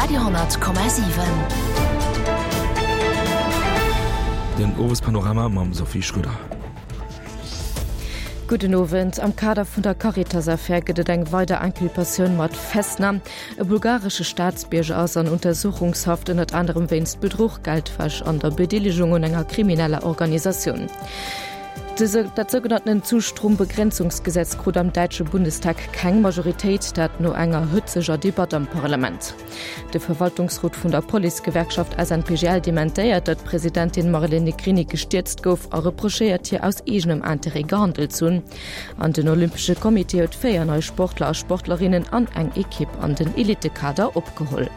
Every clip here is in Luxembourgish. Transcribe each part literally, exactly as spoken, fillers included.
Radio honnert Komma siwen. Den Owespanorama mam Sophie Schröder. Gudden Owend. Am Kader vun der Caritas-Affär gëtt et eng weider Inculpatioun mat Festnam. E bulgaresche Staatsbierger ass an Untersuchungshaft, ënnert anerem wéinst Bedruch, Geldwäsch an der Bedeelegung un enger krimineller Organisatioun. Dat sougenannten Zustrombegrenzungsgesetz krut am däitsche Bundestag keng Majoritéit, dat no enger hëtzeger Debatt am Parlament. De Verwaltungsrot vun der Policegewerkschaft S N P G L dementéiert, datt d'Presidentin Marlène Negrini gestierzt gouf a reprochéiert hir aus eegenem Interêt gehandelt ze hunn. An den Olympesche Comité huet véier nei Sportler a Sportlerinnen an eng Ekipp an den Elitekader opgeholl.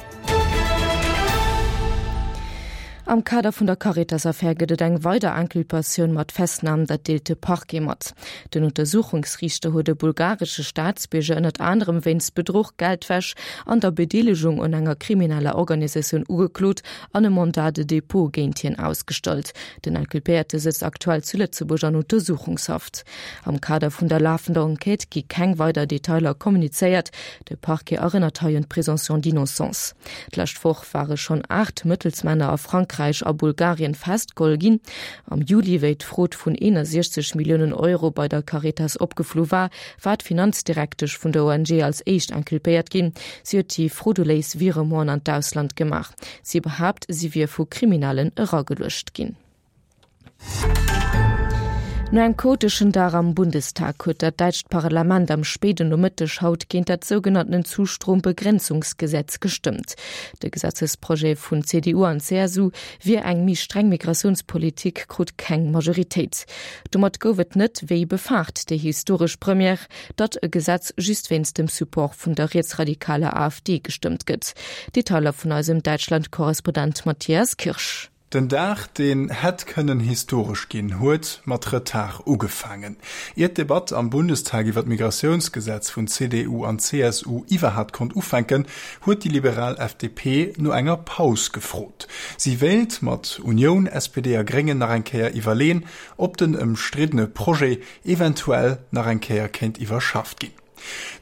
Am Kader vun der Caritas-Affär gëtt et eng weider Inculpatioun mat Festnam, dat deelt de Parquet mat. Den Untersuchungsriichter huet e bulgaresche Staatsbierger ënnert anerem wéinst Bedruch, Geldwäsch an der Bedeelegung un enger krimineller Organisatioun ugeklot an e Mandat de dépôt géint hien ausgestallt. Den Inculpéierte sëtzt aktuell zu Lëtzebuerg an Untersuchungshaft. Am Kader vun der lafender Enquête gi keng weider Detailer kommunizéiert. De Parquet erënnert hei un d'Présomption d'innocence. D'lescht Woch ware schonn aacht Mëttelsmänner a Frankräich a Bulgarien festgeholl ginn. Am Juli, wéi d'Frod vun eenundsechzeg Milliounen Euro bei der Caritas opgeflu war, war d'Finanzdirektesch vun der O N G als éischt inculpéiert ginn. Si huet déi frauduléis Virementen an d'Ausland gemaach. Si behaapt, si wier vu Kriminellen erageluecht ginn. No engem chaoteschen Dag am Bundestag huet dat däitscht Parlament am spéiden Nomëtteg haut géint dat sougenannten Zustrombegrenzungsgesetz gestëmmt. De Gesetzesprojet vun C D U an C S U wier eng méi streng Migratiounspolitik krut keng Majoritéit. Domat gouf et net wéi befaart déi historesch Première, datt e Gesetz just wéinst dem Support vun der rietsradikaler A F D gestëmmt gëtt. Detailer vun eisem Däitschland-Korrespondent Matthias Kirsch. Den Dag, deen hätt kënnen historesch ginn, huet mat Retard ugefaangen. Ier d'Debatt am Bundestag iwwer d'Migratiounsgesetz vun C D U an C S U iwwerhaapt konnt ufänken, huet déi liberal F D P no enger Paus gefrot. Si wéilt mat Union, S P D a Gréngen nach eng Kéier iwwerleen, ob den ëmstriddene Projet eventuell nach eng Kéier kéint iwwerschafft ginn.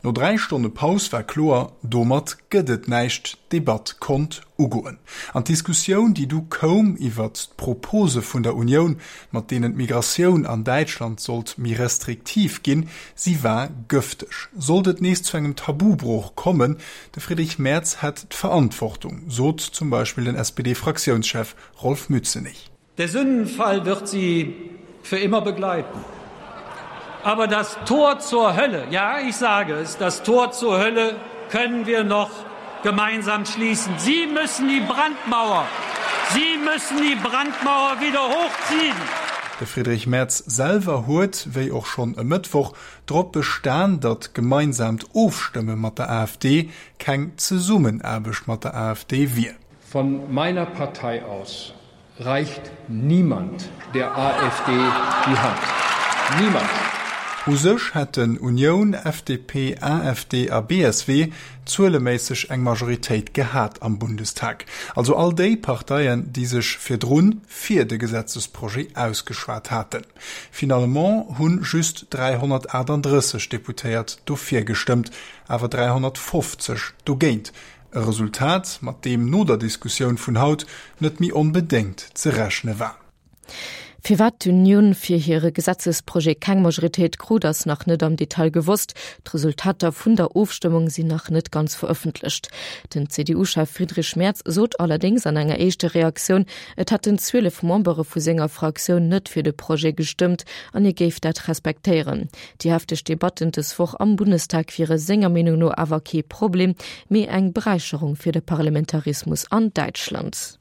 No dräi Stonne Paus war kloer, domat gëtt et näischt, d'Debatt konnt ugoen. An d'Diskussioun, déi du koum iwwer d'Propose vun der Unioun, mat deenen d'Migratioun an Däitschland sollt méi restriktiv ginn, si war gëfteg. Sollt et nees zu engem Tabubruch kommen, de Friedrich Merz hätt d'Verantwortung, sot zum Beispill den S P D-Fraktiounschef Rolf Mützenich. Der Sündenfall wird sie für immer begleiten. Aber das Tor zur Hölle, ja, ich sage es, das Tor zur Hölle können wir noch gemeinsam schließen. Sie müssen die Brandmauer, Sie müssen die Brandmauer wieder hochziehen. De Friedrich Merz selwer huet, wéi och schonn e Mëttwoch, drop bestan, datt gemeinsamt Ofstëmme mat der A F D keng Zesummenaarbecht mat der A F D wier. Von meiner Partei aus reicht niemand der A F D die Hand. Niemand. U sech hätten Union, F D P, A F D a B S W zueleméisseg eng Majoritéit gehat am Bundestag. Also all déi Parteien, déi sech virdrun fir de Gesetzesprojet ausgeschwat haten. Finalement hunn just dreihunnertachtunddrësseg Deputéiert dofir gestëmmt, awer dreihunnertfofzeg dogéint. E Resultat, mat deem no der Diskussioun vun haut net méi onbedéngt ze rechne war. Firwat d'Union fir hire Gesetzesprojet keng Majoritéit krut, ass nach net am Detail gewosst. D'Resultater vun der Ofstëmmung sinn nach net ganz verëffentlecht. Den C D U-Chef Friedrich Merz sot allerdings an enger éischter Reaktioun, et hätten zwielef Membere vu senger Fraktioun net fir de Projet gestëmmt an hie géif dat respektéieren. Déi hefteg Debatten dës Woch am Bundestag wiere senger Meenung no awer kee Problem, mee eng Beräicherung fir de Parlamentarismus an Däitschland.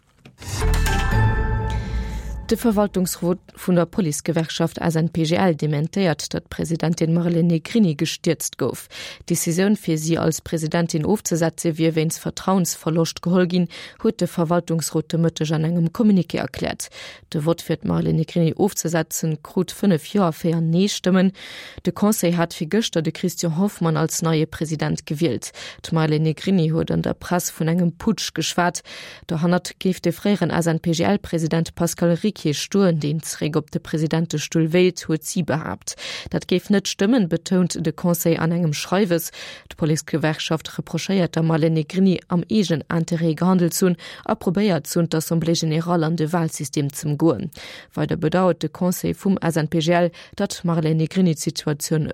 De Verwaltungsrot vun der Policegewerkschaft S N P G L dementéiert, datt Presidentin Marlène Negrini gestierzt gouf. D'Decisioun fir si als Presidentin ofzesetze wier wéinst Vertrauensverloscht geholl ginn, huet de Verwaltungsrot de Mëtteg an engem Communiqué erkläert. De Vott fir d'Marlène Negrini ofzesetzen krut fënnef Joer véier Nee-Stëmmen. De Conseil hat fir gëschter de Christian Hoffmann als neie President gewielt. D'Marlène Negrini huet an der Press vun engem Putsch geschwat. Dohannert géif de fréieren S N P G L-President Pascal Ricard kee stoen, deen zeréck op de Presidentestull wéilt, huet si behaapt. Dat géif net stëmmen, betount de Conseil an engem Schreiwes. D'Policegewerkschaft reprochéiert der Marlène Negrini am eegenen Interêt gehandelt ze hunn a probéiert ze hunn, d'Assemblée générale an de Walsystem z'ëmgoen. Weider bedauert de Conseil vum S N P G L, datt d'Marlène Negrini d'Situatioun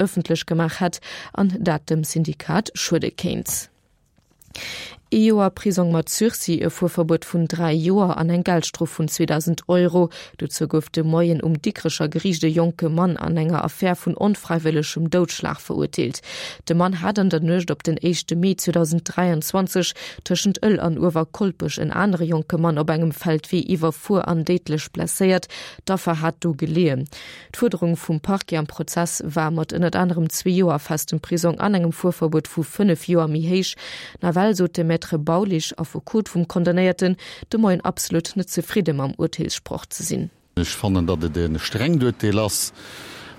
ëffentlech gemaach hätt an dat dem Syndikat schuede kéint. Ee Joer Prisong mat Sursis, e Fuerverbuet vun dräi Joer an eng Geldstrof vun zweedausend Euro, dozou gouf de Moien um Dikrecher Geriicht e jonke Mann an enger Affär vun onfräiwëllegem Doudschlag verurteelt. De Mann hat an der Nuecht op den éischte Mee zweedausenddräianzwanzeg tëschent Ëll an Uewerkolpech en anere jonke Mann op engem Feldwee iwwerfuer an déidlech blesséiert. D'Affer hat do geleeën. D'Fuerderung vum Parquet am Prozess war mat ënnert anerem zwee Joer festem Prisong an engem Fuerverbuet vu fënnef Joer méi héich. Nawell sot de Maître Baulisch, Affekot vum Condamnéierten, de Moien absolut net zefridde mam Urteelssproch ze sinn. Ech fannen, datt et e strengt Urteel ass.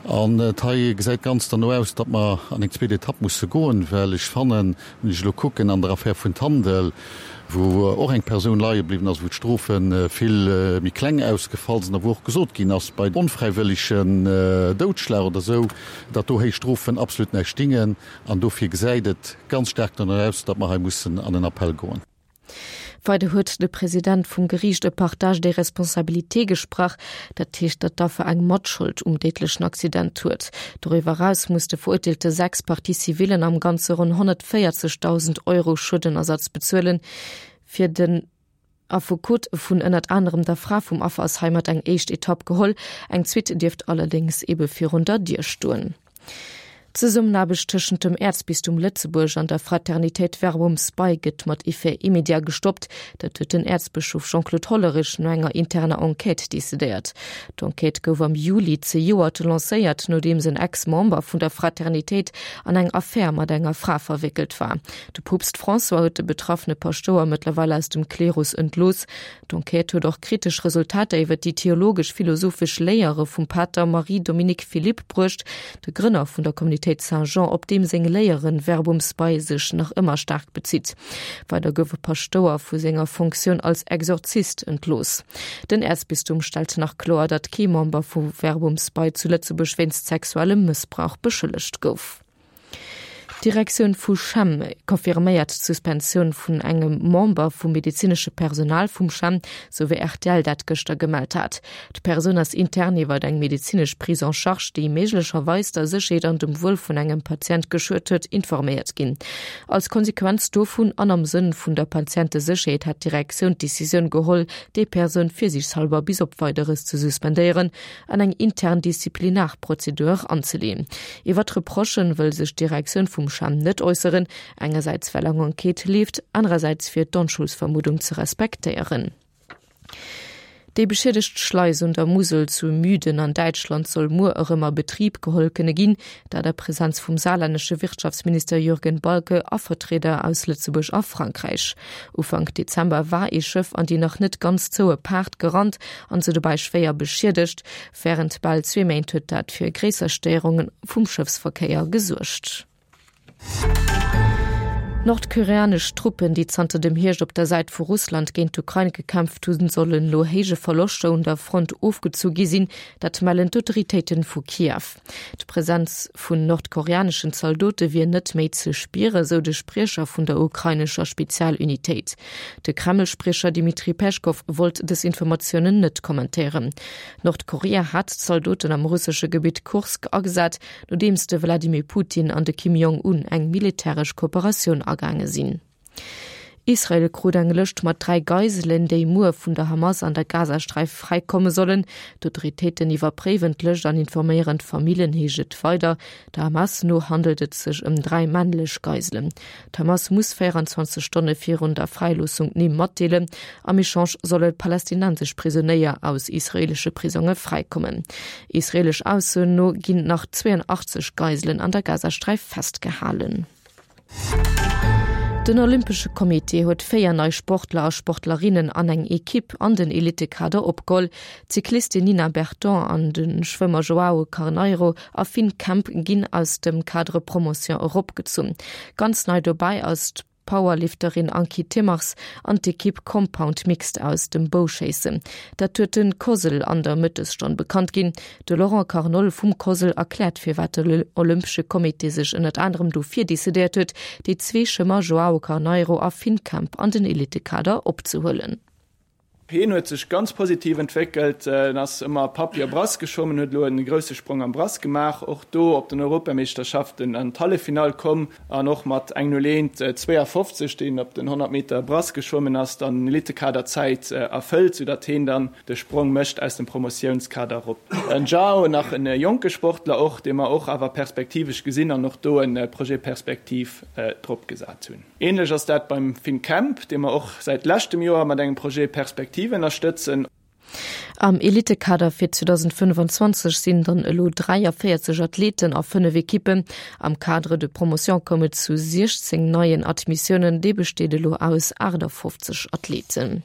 An et hei gesäit ganz derno aus, datt mer an eng zweet Etapp musse goen, well ech fannen, wann ech elo kucken an der Affär vun Tandel, wou och eng Persoun leie bliwwen ass, wou d'Strofe vill méi kleng ausgefall sinn a wou och gesot ginn ass, bei onfräiwëllegen Doudschlag oder esou, datt do héich Strofen absolut näischt dingen. An dofir gesäit et ganz staark derno aus, datt mer hei mussen an en Appell goen. Weider huet de President vum Geriicht e Partage des responsabilités gesprach, dat heescht, datt d'Affer eng Matschold um déidlechen Accident huet. Doriwwer eraus muss de Verurteelte sechs Partie-civillen am Ganze ronn honnertvéierzegdausend Euro Schuedenersatz bezuelen. Fir den Affekot vun ënnert anerem der Fra vum Affer ass heimat eng éischt Etapp geholl, eng zweet dierft allerdéngs ebe virun der Dier stoen. D'Zesummenaarbecht tëschent dem Äerzbistum Lëtzebuerg an der Fraternitéit Verbum Spei gëtt mat Effet immédiat gestoppt. Dat huet den Äerzbëschof Jean-Claude Hollerich no enger interner Enquête decidéiert. D'Enquête gouf am Juli zejoert lancéiert, nodeems en Ex-Member vun der Fraternitéit an eng Affär mat enger Fra verwéckelt war. De Poopst François huet de betraffene Paschtouer mëttlerweil aus dem Klerus entlooss. D'Enquête huet och kritesch Resultater iwwer déi theologesch-philosophesch Léiere vum Pater Marie-Dominique Philippe bruecht, de Grënner vun der Communautéit Saint-Jean, op deem seng Léieren Verbum Spei sech nach ëmmer staark bezitt. Weider gouf e Paschtouer vu senger Fonctioun als Exorzist entlooss. Den Äerzbistum stellt nach kloer, datt kee Member vu Verbum Spei zu Lëtzebuerg wéinst sexuellem Mëssbrauch beschëllegt gouf. D'Direktioun vu CHEM confirméiert d'Suspensioun vun engem Member vum medezinesche Personal vum CHEM, sou wéi R T L dat gëschter gemellt hat. D'Persoun ass intern iwwer eng medezinesch Prise en charge, déi méiglecherweis der Sécherheet an dem Wuel vun engem Patient geschuet huet, informéiert ginn. Als Konsequenz dovun an am Sënn vun der Patientesécherheet hat d'Direktioun d'Decisioun geholl, déi Persoun virsiichtshalber bis op Weideres ze suspendéieren an eng intern Disziplinarprozedur anzeleeën. Iwwer d'Reprochen wëll sech d'Direktioun vum CHEM net äusseren, engersäits well eng Enquête leeft, anerersäits fir d'Onschuldsvermuddung ze respektéieren. Déi beschiedegt Schleis un der Musel zu Müden an Däitschland soll muer erëm a Betrib geholl kënne ginn, dat a Presenz vum saarlännesche Wirtschaftsminister Jürgen Balke a Vertrieder aus Lëtzebuerg a Frankräich. Ufank Dezember war ee Schëff an déi nach net ganz zoue Paart gerannt an se dobäi schwéier beschiedegt. Wärend bal zwee Méint huet dat fir gréisser Stéierunge vum Schëffsverkéier gesuergt. Nordkoreanesch Truppen, déi zanter dem Hierscht op der Säit vu Russland géint d'Ukrain gekämpft hunn, sollen no héije Verloschter un der Front ofgezu gi sinn, dat mellen d'Autoritéite vu Kiew. D'Presenz vun nordkoreaneschen Zaldote wier net méi ze spieren, sou de Spriecher vun der ukrainescher Spezialunitéit. De Kreml-Spriecher Dmitri Peschkow wollt dës Informatiounen net kommentéieren. Nordkorea hat Zaldoten am russesche Gebitt Kursk agesat, nodeems de Wladimir Putin an de Kim Jong-un eng militäresch Kooperatioun agaange sinn. Israel krut eng Lëscht mat dräi Geiselen, déi muer vun der Hamas an der Gazasträif fräikomme sollen. D'Autoritéiten iwwerpréiwen d'Lëscht an informéieren d'Familljen, heescht et weider. Der Hamas no handelt et sech ëm dräi männlech Geiselen. D'Hamas muss véierenzwanzeg Stonne virun der Fräiloossung d'Nimm matdeelen. Am Echange solle palästinensesch Prisonéier aus israeelesche Prisonge fräikommen. Israeelesch Aussoen no ginn nach zweeënachtzeg Geiselen an der Gazasträif festgehalen. Den Olympesche Comité huet véier nei Sportler a Sportlerinnen an eng Ekipp an den Elitekader opgeholl. D'Cyclistin Nina Berton an de Schwëmmer Joao Carneiro a Finn Kemp ginn aus dem Cadre Promotion eropgezunn. Ganz nei dobäi ass d'Powerlifterin Ankie Timmers an d'Ekipp Compound Mixed aus dem Bouschéissen. Dat huet de COSL an der Mëttesstonn bekannt ginn. De Laurent Carnol vum COSL erkläert firwat de Olympesche Comité sech ënnert anerem dofir decidéiert huet, déi zwee Schwëmmer Joao Carneiro a Finn Kemp an den Elitekader opzehuelen. Hien huet sech ganz positiv entwéckelt, en ass ëmmer Papier Brass geschwommen, huet elo en grousse Sprong am Brass gemaach, och do op den Europameeschterschaften an d'Halleffinall komm an och mat eng null eent zwéiafofzeg, déi en op den honnert Meter Brass geschwommen ass, dann Elitekaderzäit erfëllt, soudatt hien dann de Sprong mécht aus dem Promotiounskader erop. En Joao, nach en jonke Sportler och, dee mer och awer perspektivesch gesinn an och do e Projet Perspektiv drop gesat hunn. Ähnlech ass dat beim Finn Kemp, dee mer och säit leschtem Joer mat engem Projet Perspektiv ënnerstëtzen. Am Elitekader fir zweedausendfënnefanzwanzeg sinn dann elo dräiavéierzeg Athleten a fënnef Ekippen. Am Cadre de promotion koum et zu siechzéng neien Admissiounen, dee besteet elo aus aachtafofzeg Athleten.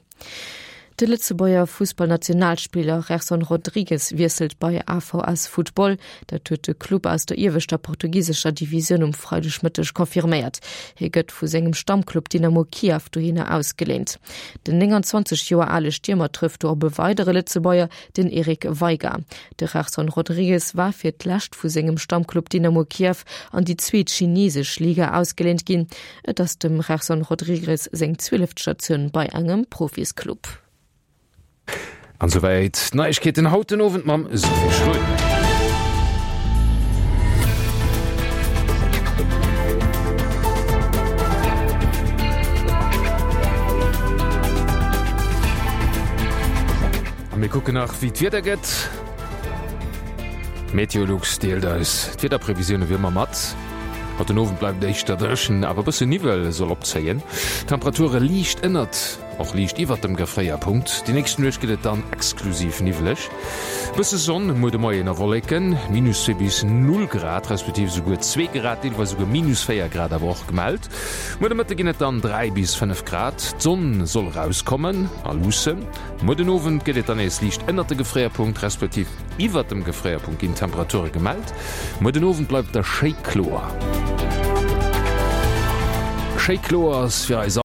De Lëtzebuerger Fussballnationalspiller Gerson Rodrigues wiesselt bei A V S Football. Dat huet de Club aus der ieweschter portugisescher Divisioun um Freidegmëtteg confirméiert. Hie gëtt vu sengem Stammclub Dynamo Kiew dohinner ausgeléint. Den nénganzwanzeg Joer ale Stiermer trëfft do op e weidere Lëtzebuerger, den Eric Veiga. De Gerson Rodrigues war fir d'lescht vu sengem Stammclub Dynamo Kiew an déi zweet chinesesch Liga ausgeléint ginn. Et ass dem Gerson Rodrigues seng zwieleft Statioun bei engem Profisclub. An souwäit d'Neiegkeeten haut den Owend mam Sophie Schröder. A mir kucken nach wéi d'Wieder gëtt. Meteolux deelt eis d'Wiederprevisioune wéi ëmmer mat. Haut den Owend bleift et éischter dréchen, awer e bësse Niwwel soll opzéien. Temperature liicht ënnert, och liicht iwwert dem Gefréierpunkt. Déi nächst Nuecht gëtt et dann exklusiv niwweleg. Bësse Sonn muer de Moien a Wolleken, minus zwee bis null Grad, respektiv esouguer zwee Grad, deelweis esouguer minus véier Grad awer och gemellt. Muer de Mëtte ginn et dann dräi bis fënnef Grad, d'Sonn soll erauskommen a luussen. Muer den Owend gëtt et dann nees liicht ënnert de Gefréierpunkt, respektiv iwwert dem Gefréierpunkt ginn Temperature gemellt. Muer den Owend bleift et da schéi kloer. Schéi kloer ass fir eis.